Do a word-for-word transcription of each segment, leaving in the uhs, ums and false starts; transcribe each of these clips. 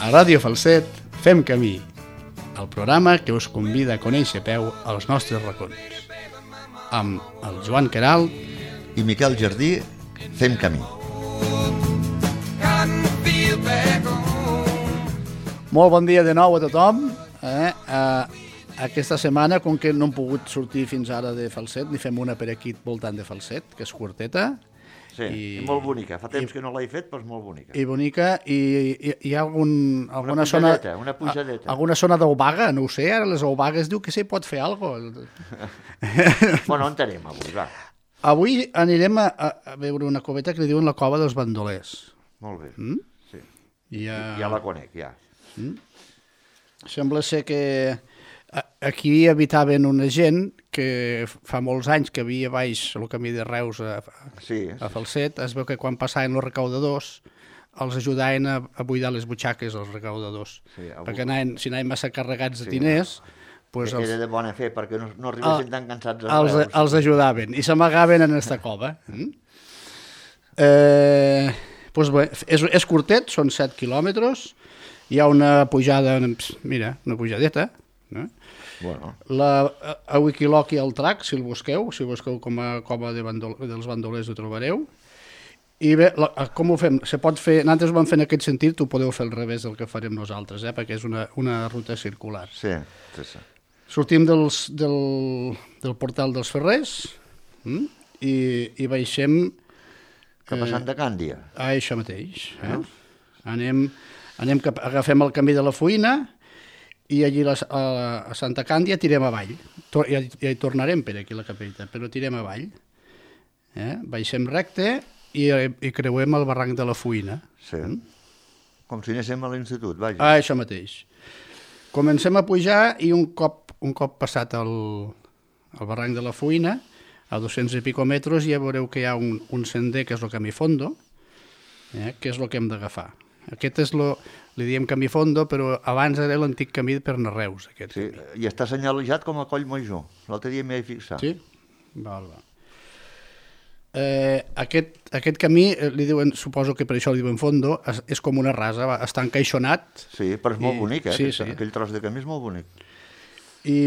A Ràdio Falset fem camí, el programa que us convida a conèixer a peu els nostres racons. Amb el Joan Queralt i Miquel Jardí fem camí. Molt bon dia de nou a tothom. Eh? Uh, aquesta setmana, com que no hem pogut sortir fins ara de Falset, ni fem una per aquí voltant de Falset, que és curteta. Sí, i, i molt bonica. Fa temps i, que no l'he fet, però és molt bonica. I bonica, i hi, hi ha algun, alguna una zona... Una pujadeta. Alguna zona d'Oubaga, no ho sé, ara les Oubagues diu que s'hi pot fer alguna cosa. Bueno, on anem avui, va? Avui anirem a, a veure una coveta que li diuen la Cova dels Bandolers. Molt bé, mm? sí. Ja... ja la conec, ja. Mm? Sembla ser que aquí habitaven una gent que fa molts anys que havia baix el camí de Reus a, sí, a Falset. Es veu que quan passaven els recaudadors els ajudaven a, a buidar les butxaques als recaudadors, sí, avui... perquè anaven, si anaven massa carregats de diners... Sí, pues que els, era de bona fe, perquè no, no arribessin tan cansats a els, Reus. Els ajudaven i s'amagaven en aquesta cova. Mm? Eh, pues bé, és, és curtet, són set quilòmetres, hi ha una pujada, mira, una pujadeta, no? Bueno. La, a Wikiloc i al track, si el busqueu, si busqueu com a cova de bandol, dels bandolers ho trobareu. I bé, la, com ho fem? Se pot fer, nosaltres ho vam fer en aquest sentit, ho podeu fer al revés del que farem nosaltres, eh? Perquè és una, una ruta circular. Sí, sí, sí. Sortim dels, del, del portal dels Ferrers mm? i, i baixem... Cap a Santa Càndia. Eh, a això mateix. Eh? Anem, anem cap, agafem el camí de la Fuïna i allí a, a, a Santa Càndia tirem avall. Tor, ja, ja hi tornarem per aquí a la capella, però tirem avall. Eh? Baixem recte i, i creuem el barranc de la Fuïna. Sí. Mm? Com si anéssim a l'institut, vaja. Ah, això mateix. Comencem a pujar i un cop, un cop passat el, el barranc de la Fuïna, a dos-cents i pico metres, ja veureu que hi ha un, un sender que és el camí fondo, eh, que és el que hem d'agafar. Aquest és lo, li diem camí fondo, però abans era l'antic camí per anar a Reus. Aquest sí, camí. I està senyalitzat com a Coll Major. L'altre dia m'hi he fixat. Sí? Val, val. Eh, aquest, aquest camí, li diuen, suposo que per això li diuen fondo, és, és com una rasa, va, està encaixonat. Sí, però és molt i, bonic, eh? Sí, Aquest, sí. Aquell tros de camí és molt bonic. I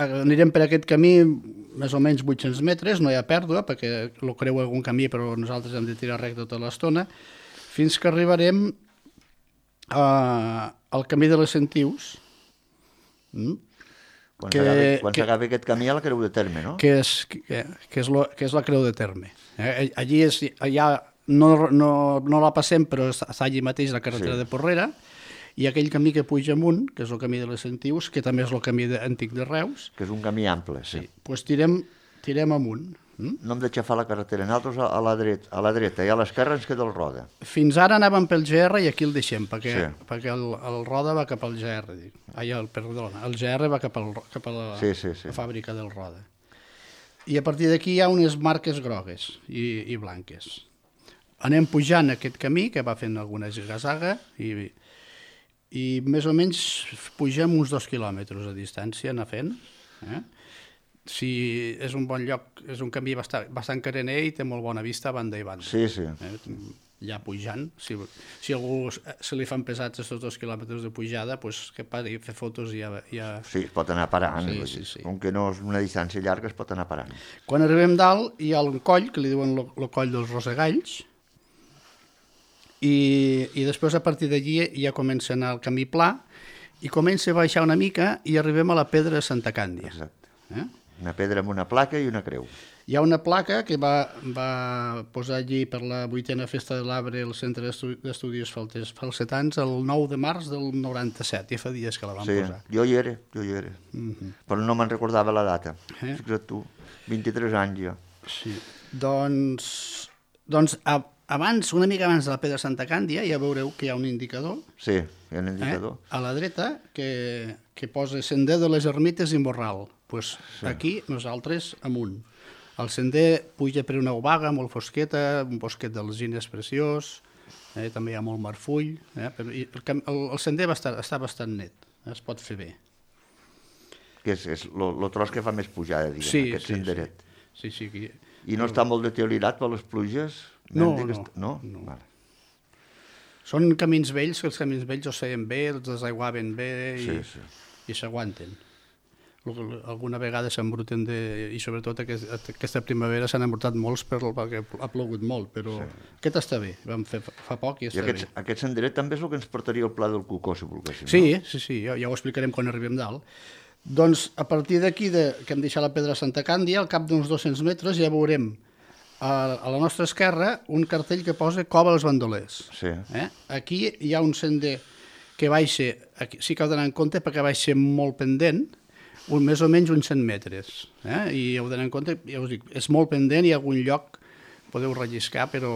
anirem per aquest camí més o menys vuit-cents metres, no hi ha pèrdua, perquè el creu algun camí, però nosaltres hem de tirar recte tota l'estona, fins que arribarem a, al camí de les Sentius, mm? Quan s'agafi aquest camí a la Creu de Terme, no? Que és, que, que és, lo, que és la Creu de Terme. Eh? Allí és, allà no, no, no la passem, però està allí mateix la carretera sí. de Porrera, i aquell camí que puja amunt, que és el camí de les Sentius, que també és el camí de, antic de Reus. Que és un camí ample, sí. sí. Pues tirem, tirem amunt. Mm? No hem d'aixafar la carretera, nosaltres a la, dreta, a la dreta i a l'esquerra ens queda el Roda. Fins ara anàvem pel G R i aquí el deixem, perquè, sí. perquè el, el Roda va cap al G R. Dic. Ai, el, perdona, el G R va cap, al, cap a la, sí, sí, sí. la fàbrica del Roda. I a partir d'aquí hi ha unes marques grogues i, i blanques. Anem pujant aquest camí, que va fent alguna zigazaga, i, i més o menys pugem uns dos quilòmetres a distància, anar fent. Eh? Si és un bon lloc, és un camí bastant, bastant carener i té molt bona vista a banda i banda. Sí, sí. Eh? Ja pujant, si, si algú se li fan pesats aquests dos quilòmetres de pujada, pues, que pari fer fotos i ja, ja... Sí, es pot anar parant. Sí, sí, sí. Com que no és una distància llarga, es pot anar parant. Quan arribem dalt, hi ha un coll, que li diuen el coll dels Rosegalls, i, i després a partir d'allí ja comença a anar el camí pla, i comença a baixar una mica i arribem a la pedra de Santa Càndia. Exacte. Eh? Una pedra amb una placa i una creu. Hi ha una placa que va, va posar allí per la vuitena festa de l'Arbre el Centre d'Estudis Falsetans el nou de març del noranta-set, ja fa dies que la van sí, posar. Sí, jo hi era, jo hi era, uh-huh. però no me'n recordava la data. Eh? Fixa't tu, vint-i-tres anys ja. Sí, doncs, doncs a, abans, una mica abans de la pedra Santa Càndia, ja veureu que hi ha un indicador. Sí, hi ha un indicador. Eh? A la dreta, que, que posa Sender de les Ermites i Morral. Pues sí. Aquí nosaltres amunt. El sender puja per una obaga molt fosqueta, un bosquet d'alzines preciós, eh? També hi ha molt marfull, eh? Però el, el, el sender va estar, està bastant net, eh? Es pot fer bé. Que és el tros que fa més pujada, diguem, sí, aquest sí, senderet. Sí, sí. sí. I no està molt deteriorat per les pluges? No, no. no, no? no. Vale. Són camins vells, que els camins vells els feien bé, els desaiguaven bé i, Sí, sí. i s'aguanten. Alguna vegada s'embruten de... i sobretot aquest, aquesta primavera s'han embrutat molts per, perquè ha plogut molt, però sí. Aquest està bé, vam fer fa poc i està I aquest, bé. aquest senderet també és el que ens portaria al Pla del Cucó, si volguéssim. Sí, no? sí, sí, ja, ja ho explicarem quan arribem dalt. Doncs a partir d'aquí, de, que hem deixat la Pedra Santa Càndia, al cap d'uns dos-cents metres ja veurem a, a la nostra esquerra un cartell que posa Cova dels Bandolers. Sí. Eh? Aquí hi ha un sender que baixa, aquí, sí que heu d'anar en compte perquè baixa molt pendent, un, més o menys uns cent metres. Eh? I heu d'anar en compte, ja us dic, és molt pendent, hi ha algun lloc podeu relliscar, però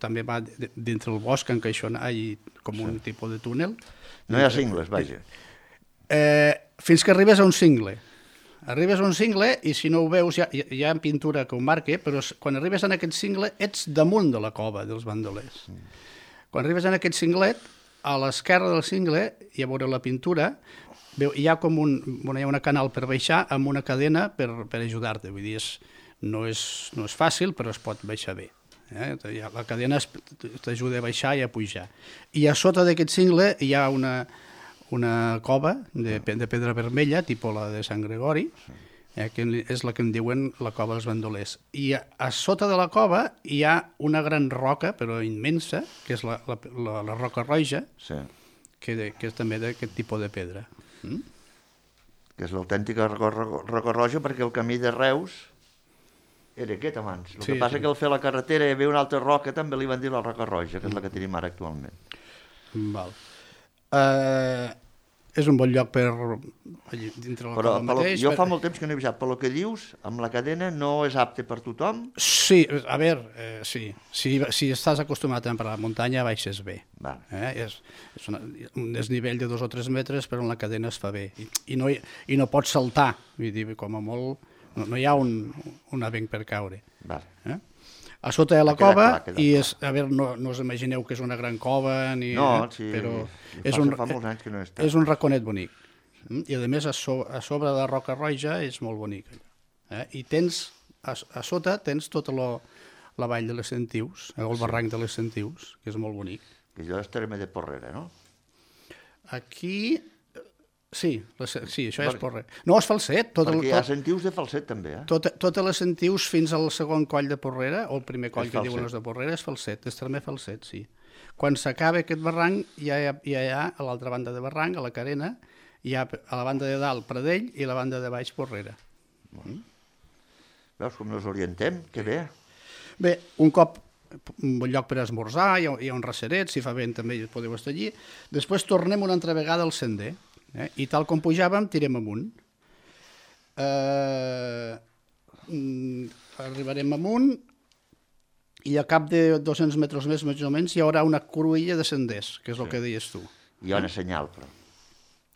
també va dintre el bosc, encaixonat, i com un sí. tipus de túnel. No hi ha cingles, vaja. Eh, fins que arribes a un cingle. Arribes a un cingle i si no ho veus, hi ha, hi ha pintura que ho marca, però quan arribes en aquest cingle ets damunt de la cova dels bandolers. Mm. Quan arribes en aquest cinglet, a l'esquerra del cingle, i a veure la pintura, veu, hi ha com un, bueno, hi ha una canal per baixar amb una cadena per, per ajudar-te. Vull dir, és, no, és, no és fàcil, però es pot baixar bé. Eh? La cadena t'ajuda a baixar i a pujar. I a sota d'aquest cingle hi ha una, una cova de, de pedra vermella, tipus la de Sant Gregori, eh, que és la que en diuen la cova dels bandolers. I a, a sota de la cova hi ha una gran roca, però immensa, que és la, la, la, la roca roja, sí. que, de, que és també d'aquest tipus de pedra. Mm? Que és l'autèntica roca, roca roja, perquè el camí de Reus era aquest abans. El sí, que passa sí. que al fer la carretera hi havia una altra roca, també li van dir la roca roja, que és la que tenim ara actualment. Val. Uh, és un bon lloc per allí, dintre la però, cova mateix. Jo per... fa molt temps que no he visat, però el que dius, amb la cadena no és apte per tothom? Sí, a veure, eh, sí. Si, si estàs acostumat a per la muntanya, baixes bé. Eh? És, és una, un desnivell de dos o tres metres, però en la cadena es fa bé. I, i, no, i no pots saltar, vull dir, com a molt... No, no hi ha un, un avenc per caure. Eh? A sota de la cova, clar, i és, a veure, no, no us imagineu que és una gran cova, ni, no, eh? sí, però és un, fa molts anys que no està. És un raconet bonic. I a més a, so, a sobre de la roca roja és molt bonic. Eh? I tens, a, a sota tens tota lo, la vall de les Sentius, el sí. barranc de les Sentius, que és molt bonic. Que allò és terme de Porrera, no? Aquí... Sí, les, sí, això és Porrera. No, és Falset. Tot Perquè el, tot, hi ha Sentius de Falset, també, eh? Tot, totes les Sentius fins al segon coll de Porrera, o el primer coll que diuen els de Porrera, és Falset, és també Falset, sí. Quan s'acaba aquest barranc, ja hi ha, ja hi ha a l'altra banda de barranc, a la Carena, hi ha a la banda de dalt Pradell i a la banda de baix Porrera. Mm. Veus com nos orientem? Que bé. Bé, un cop un bon lloc per esmorzar, hi ha, hi ha un raceret, si fa vent també podeu estar allí. Després tornem una altra vegada al sender. Eh? I tal com pujàvem, tirem amunt. Eh, arribarem amunt i a cap de dos-cents metres més, més o menys, hi haurà una cruïlla de senders, que és el sí. que deies tu. Hi ha una senyal, però.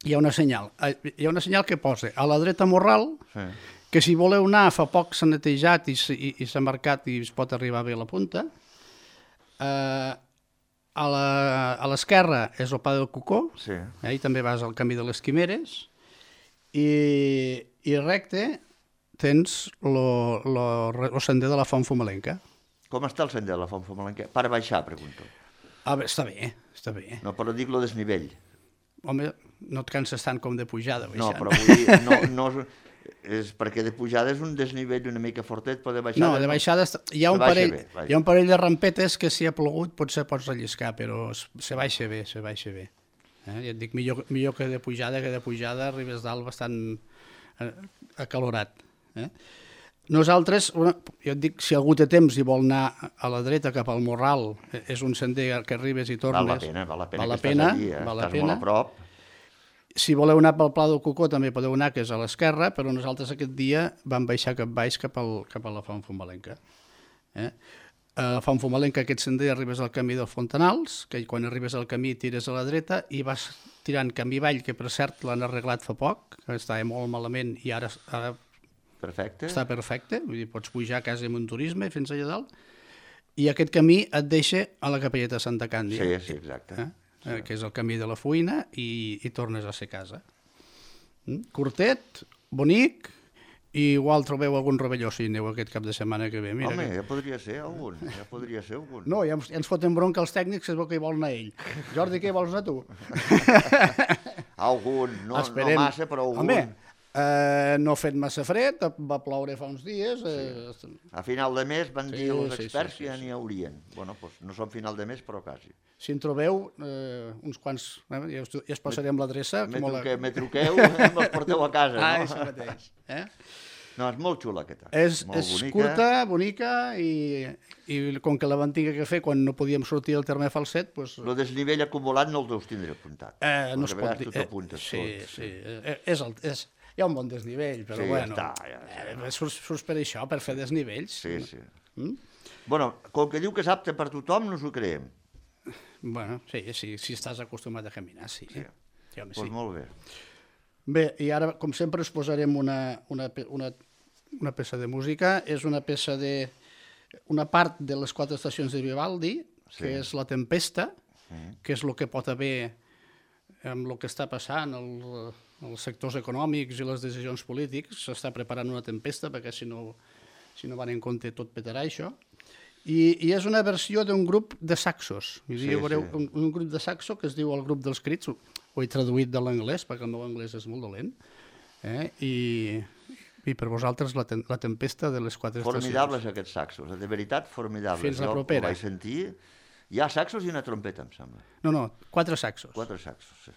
Hi ha una senyal. Hi ha una senyal que posa a la dreta Morral, sí. que si voleu anar, fa poc s'ha netejat i, i, i s'ha marcat i es pot arribar bé a la punta. Eh, A l'esquerra és el Pla del Cucó, sí. eh, i també vas al camí de les Quimeres, i, i recte tens el sender de la Font Fumalenca. Com està el sender de la Font Fumalenca? Per baixar, pregunto. Ah, bé, està bé, està bé. No, però dic lo desnivell. Home, no et canses tant com de pujada. Baixant. No, però vull dir, no, no, és perquè de pujada és un desnivell una mica fortet, però de baixada... No, de baixada no. hi, ha un parell, bé, hi ha un parell de rampetes que si ha plogut potser pots relliscar, però se baixa bé, se baixa bé. Eh? Ja et dic, millor, millor que de pujada, que de pujada arribes dalt bastant acalorat. Eh? Nosaltres, una, jo et dic, si algú té temps i vol anar a la dreta cap al Morral, és un sender que arribes i tornes... Val la pena, val la pena val la que pena, estàs allí, eh? val la estàs pena. molt a prop. Si voleu anar pel Pla del Cucó també podeu anar, que és a l'esquerra, però nosaltres aquest dia vam baixar cap baix cap, al, cap a la Font Fumalenca. Eh? A la Font Fumalenca, aquest sender, arribes al camí dels Fontanals, que quan arribes al camí tires a la dreta i vas tirant camí avall, que per cert l'han arreglat fa poc, que estava molt malament i ara, ara perfecte. està perfecte, vull dir, pots pujar quasi amb un turisme fins allà dalt, i aquest camí et deixa a la capelleta de Santa Càndia. Sí, sí, exacte. Eh? Sí. Que és el camí de la Fuïna, i, i tornes a ser casa. Mm? Curtet, bonic, I igual trobeu algun rovelló si aneu aquest cap de setmana que ve. Mira Home, que... ja podria ser algun, ja podria ser algun. No, ja ens, ja ens foten bronca els tècnics, es veu que hi vol anar ell. Jordi, què hi vols anar tu? Algun, no, no massa, però algun. Home, eh, no ha fet massa fred, va ploure fa uns dies. Eh... Sí. A final de mes van dir sí, els sí, experts sí, sí, que ja sí. n'hi haurien. Bueno, doncs no són final de mes, però quasi. Si en trobeu eh, uns quants, eh, ja, us, ja us passarem l'adreça. Me, la... truque, me truqueu i me'ls porteu a casa, ah, no? això mateix. Eh? No, és molt xula aquesta. És, molt és bonica. curta, bonica, i, i com que la van tingué que fer quan no podíem sortir del terme falset, doncs... El desnivell acumulat no el deus tindre apuntat. Eh, no es pot dir... Tot apuntes, sí, tot, sí, sí. Eh, és el, és, hi ha un bon desnivell, però sí, bueno... Ja està, ja, ja. Eh, surts, surts per això, per fer desnivells. Sí, sí. Mm? Bueno, com que diu que és apte per tothom, no s'ho creiem. Bueno, sí, sí, si estàs acostumat a caminar, sí. Sí. Sí, home, pues sí. molt bé. Bé, i ara, com sempre, us posarem una, una, una, una peça de música. És una peça de... una part de les quatre estacions de Vivaldi, sí. Que és La Tempesta, mm. que és el que pot haver amb el que està passant, el, els sectors econòmics i les decisions polítics. S'està preparant una tempesta, perquè si no, si no van en compte tot petarà això. I, i és una versió d'un grup de saxos. Sí, sí. Veureu, un, un grup de saxo que es diu el grup dels Crits, ho he traduït de l'anglès, perquè el meu anglès és molt dolent, eh? I, i per vosaltres la, ten, la tempesta de les quatre Formidables estacions. aquests saxos, de veritat formidables. Fins la jo propera. ho vaig sentir. Hi ha saxos i una trompeta, em sembla. No, no, quatre saxos. Quatre saxos, sí.